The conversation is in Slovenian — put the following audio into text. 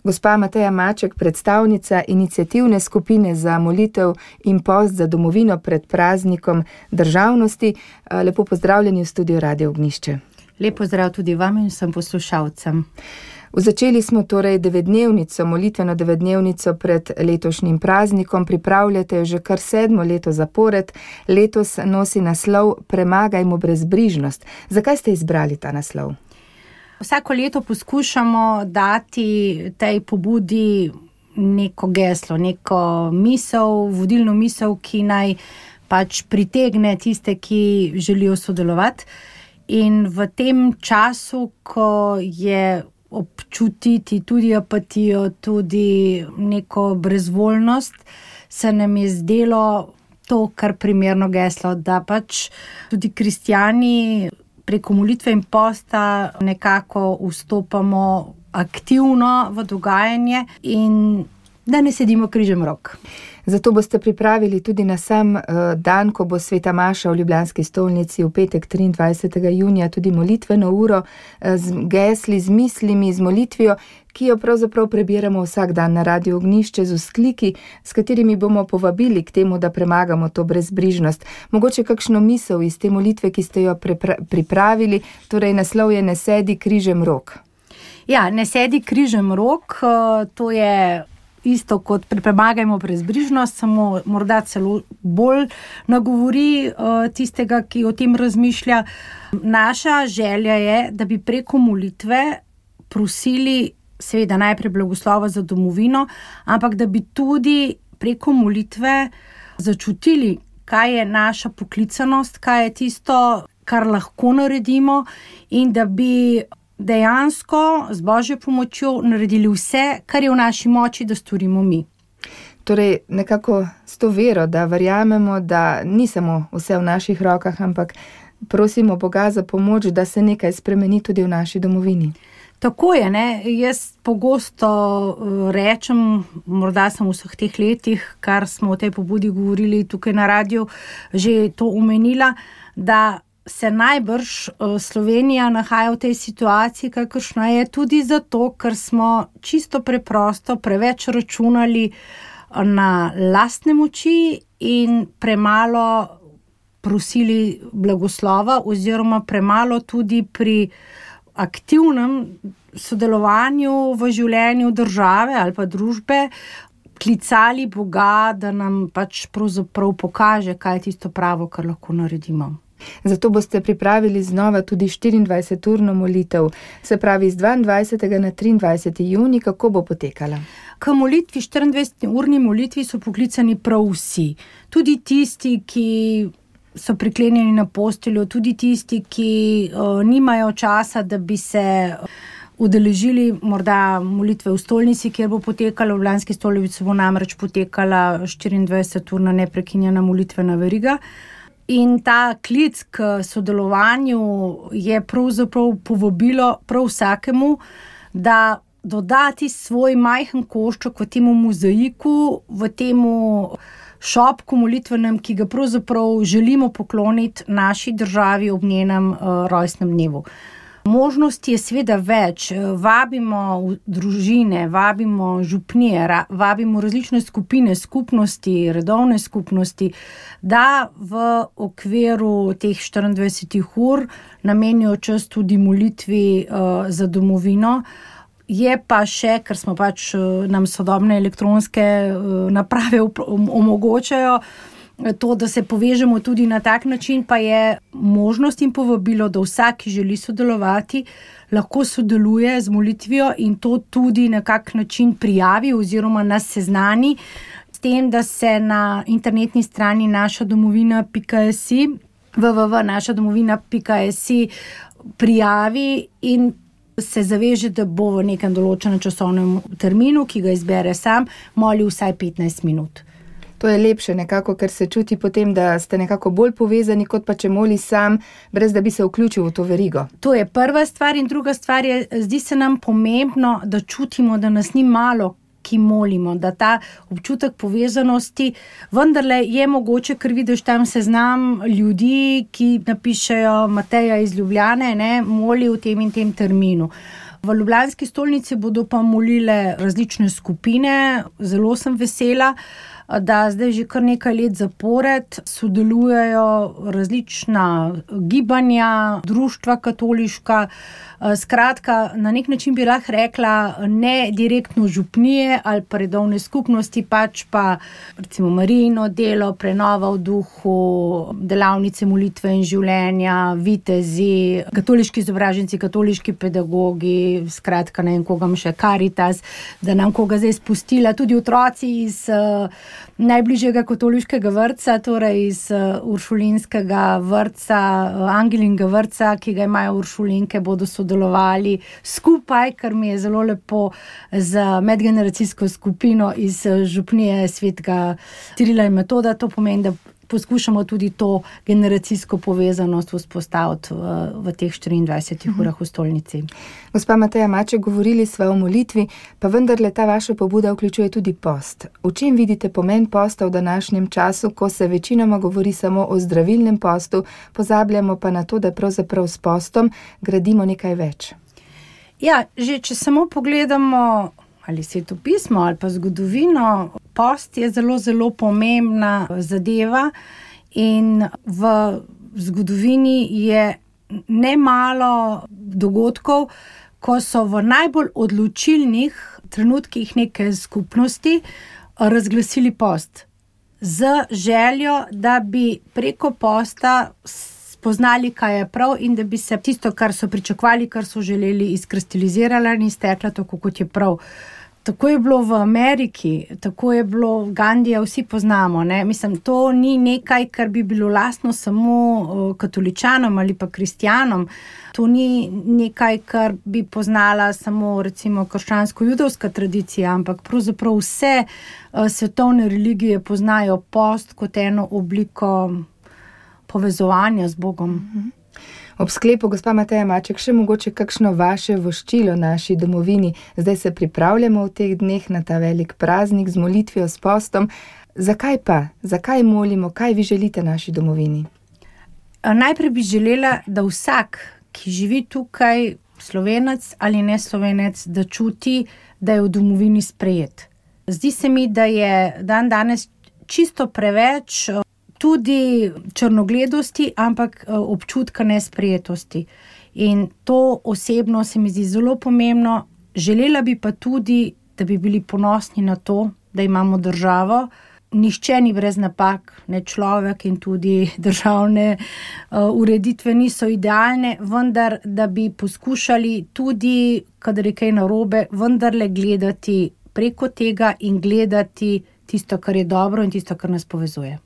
Gospa Mateja Maček, predstavnica iniciativne skupine za molitev in post za domovino pred praznikom državnosti. Lepo pozdravljeni v studiu Radio Ognjišče. Lep pozdrav tudi vam in vsem poslušalcem. Začeli smo torej molitveno 9-dnevnico pred letošnjim praznikom. Pripravljate jo že kar 7. leto zapored. Letos nosi naslov Premagajmo brezbrižnost. Zakaj ste izbrali ta naslov? Vsako leto poskušamo dati tej pobudi neko geslo, neko misel, vodilno misel, ki naj pač pritegne tiste, ki želijo sodelovati. In v tem času, ko je občutiti tudi apatijo, tudi neko brezvoljnost, se nam je zdelo to kar primerno geslo, da pač tudi kristjani preko molitve in posta nekako vstopamo aktivno v dogajanje in da ne sedimo križem rok. Zato boste pripravili tudi na sam dan, ko bo sveta maša v ljubljanski stolnici v petek 23. junija tudi molitveno uro z gesli, z mislimi, z molitvijo, ki jo pravzaprav prebiramo vsak dan na Radiu Ognjišče z vzkliki, s katerimi bomo povabili k temu, da premagamo to brezbrižnost. Mogoče kakšno misel iz te molitve, ki ste jo pripravili, torej naslov je Ne sedi križem rok. Ja, ne sedi križem rok, to je isto kot premagajmo brezbrižnost, samo morda celo bolj nagovori tistega, ki o tem razmišlja. Naša želja je, da bi preko molitve prosili seveda najprej blagoslova za domovino, ampak da bi tudi preko molitve začutili, kaj je naša poklicanost, kaj je tisto, kar lahko naredimo in da bi dejansko z Božjo pomočjo naredili vse, kar je v naši moči, da storimo mi. Torej, nekako s to vero, da verjamemo, da ni samo vse v naših rokah, ampak prosimo Boga za pomoč, da se nekaj spremeni tudi v naši domovini. Tako je, ne? Jaz pogosto rečem, morda sem v vseh teh letih, kar smo o tej pobudi govorili tukaj na radiju, že to omenila, da se najbrž Slovenija nahaja v tej situaciji, kakršna je tudi zato, ker smo čisto preprosto preveč računali na lastne moči in premalo prosili blagoslova oziroma premalo tudi pri aktivnem sodelovanju v življenju države ali pa družbe klicali Boga, da nam pač pravzaprav pokaže, kaj je tisto pravo, kar lahko naredimo. Zato boste pripravili znova tudi 24-urno molitev, se pravi z 22. na 23. junij, kako bo potekala? K molitvi, 24-urni molitvi so poklicani prav vsi. Tudi tisti, ki so priklenjeni na posteljo, tudi tisti, ki nimajo časa, da bi se udeležili morda molitve v stolnici, kjer bo potekala, v ljubljanski stolnici bo namreč potekala 24-urna neprekinjena molitvena veriga. In ta klic k sodelovanju je pravzaprav povabilo prav vsakemu, da dodati svoj majhen košček v temu mozaiku, v temu šopku molitvenem, ki ga pravzaprav želimo pokloniti naši državi ob njenem rojstnem dnevu. Možnosti je seveda več, vabimo družine, vabimo župnije, vabimo različne skupine, skupnosti, redovne skupnosti, da v okviru teh 24 ur namenijo čas tudi molitvi za domovino. Je pa še, ker smo pač nam sodobne elektronske naprave omogočajo, to, da se povežemo tudi na tak način, pa je možnost in povabilo, da vsak, ki želi sodelovati, lahko sodeluje z molitvijo in to tudi na kak način prijavi oziroma nas seznani s tem, da se na internetni strani našadomovina.si www.našadomovina.si prijavi in se zaveže, da bo v nekem določenem časovnem terminu, ki ga izbere sam, molil vsaj 15 minut. To je lepše nekako, ker se čuti potem, da ste nekako bolj povezani, kot pa če moli sam, brez da bi se vključil v to verigo. To je prva stvar in druga stvar je, zdi se nam pomembno, da čutimo, da nas ni malo, ki molimo, da ta občutek povezanosti vendarle je mogoče, ker vidiš tam seznam ljudi, ki napišejo Mateja iz Ljubljane, moli v tem in tem terminu. V ljubljanski stolnici bodo pa molile različne skupine. Zelo sem vesela, da zdaj že kar nekaj let zapored sodelujejo različna gibanja, društva katoliška. Skratka, na nek način bi lahko rekla, ne direktno župnije ali pa redovne skupnosti, pač pa recimo Marijino delo, Prenova v duhu, delavnice molitve in življenja, vitezi, katoliški izobraženci, katoliški pedagogi, skratka ne vem koga še, Karitas, da nam koga zdaj spustila, tudi otroci iz najbližjega katoliškega vrtca, torej iz uršulinskega vrtca, Angelinga vrtca, ki ga imajo uršulinke, bodo sodelovali skupaj, kar mi je zelo lepo, z medgeneracijsko skupino iz župnije svetega Cirila in Metoda. To pomeni, da poskušamo tudi to generacijsko povezanost vzpostaviti v teh 24 urah v stolnici. Gospa Mateja Maček, govorili sva o molitvi, pa vendarle ta vaša pobuda vključuje tudi post. V čem vidite pomen posta v današnjem času, ko se večinoma govori samo o zdravilnem postu, pozabljamo pa na to, da pravzaprav s postom gradimo nekaj več? Ja, že če samo pogledamo ali svetopismo ali pa zgodovino, post je zelo, zelo pomembna zadeva in v zgodovini je nemalo dogodkov, ko so v najbolj odločilnih trenutkih neke skupnosti razglasili post z željo, da bi preko posta spoznali, kaj je prav in da bi se tisto, kar so pričakovali, kar so želeli, izkristaliziralo in izteklo tako, kot je prav. Tako je bilo v Ameriki, tako je bilo Gandija, vsi poznamo. Ne? Mislim, to ni nekaj, kar bi bilo lastno samo katoličanom ali pa kristjanom. To ni nekaj, kar bi poznala samo recimo krščansko-judovska tradicija, ampak pravzaprav vse svetovne religije poznajo post kot eno obliko povezovanja z Bogom. Ob sklepu, gospa Mateja Maček, še mogoče kakšno vaše voščilo naši domovini. Zdaj se pripravljamo v teh dneh na ta velik praznik z molitvijo, s postom. Zakaj pa? Zakaj molimo? Kaj vi želite naši domovini? Najprej bi želela, da vsak, ki živi tukaj, Slovenec ali ne Slovenec, da čuti, da je v domovini sprejet. Zdi se mi, da je danes čisto preveč tudi črnogledosti, ampak občutka nesprejetosti. In to osebno se mi zdi zelo pomembno. Želela bi pa tudi, da bi bili ponosni na to, da imamo državo. Nihče ni brez napak, ne človek in tudi državne ureditve niso idealne, vendar da bi poskušali tudi, kadar je kaj narobe, vendarle gledati preko tega in gledati tisto, kar je dobro in tisto, kar nas povezuje.